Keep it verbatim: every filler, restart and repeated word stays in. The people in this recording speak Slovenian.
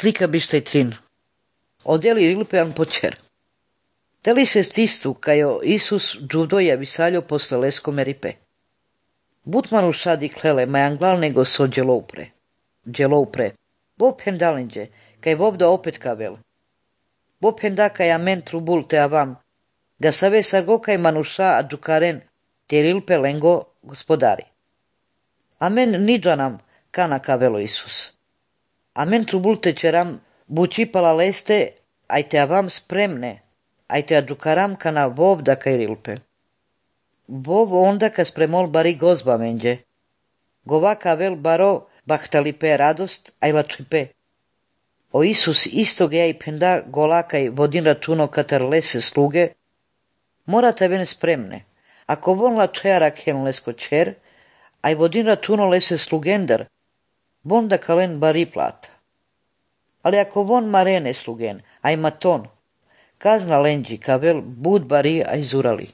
slika biste trin. Odeli rilpean pocher. Deli se stistu, kajo Isus džudoja visaljo posle leskome ripe. Butmanu šadi klele, majan glal nego so djeloupre. Djeloupre. Bo pendalinđe, kaj vovda opet kavel. Bo penda kaj amen trubul te avam, ga save sargo kaj manuša a džukaren, te rilpe lengo gospodari. Amen niđanam, kana kavelo Isus. Amen trubul te čeram, bučipala leste, aj te avam spremne, aj te adžukaram kana vovda kaj rilpe. Vov onda ka spremol bari gozba menđe. Gova kavel baro bahtalipe radost, aj lačipe. O Isus istog ja i penda golakaj vodin računo katar lese sluge, morate ven spremne. Ako von lačeara ken lesko čer, aj vodin računo lese slugender, von da kalen bari plata. Ali ako von marene slugen, aj maton, kazna lenđi kavel bud bari aj zurali.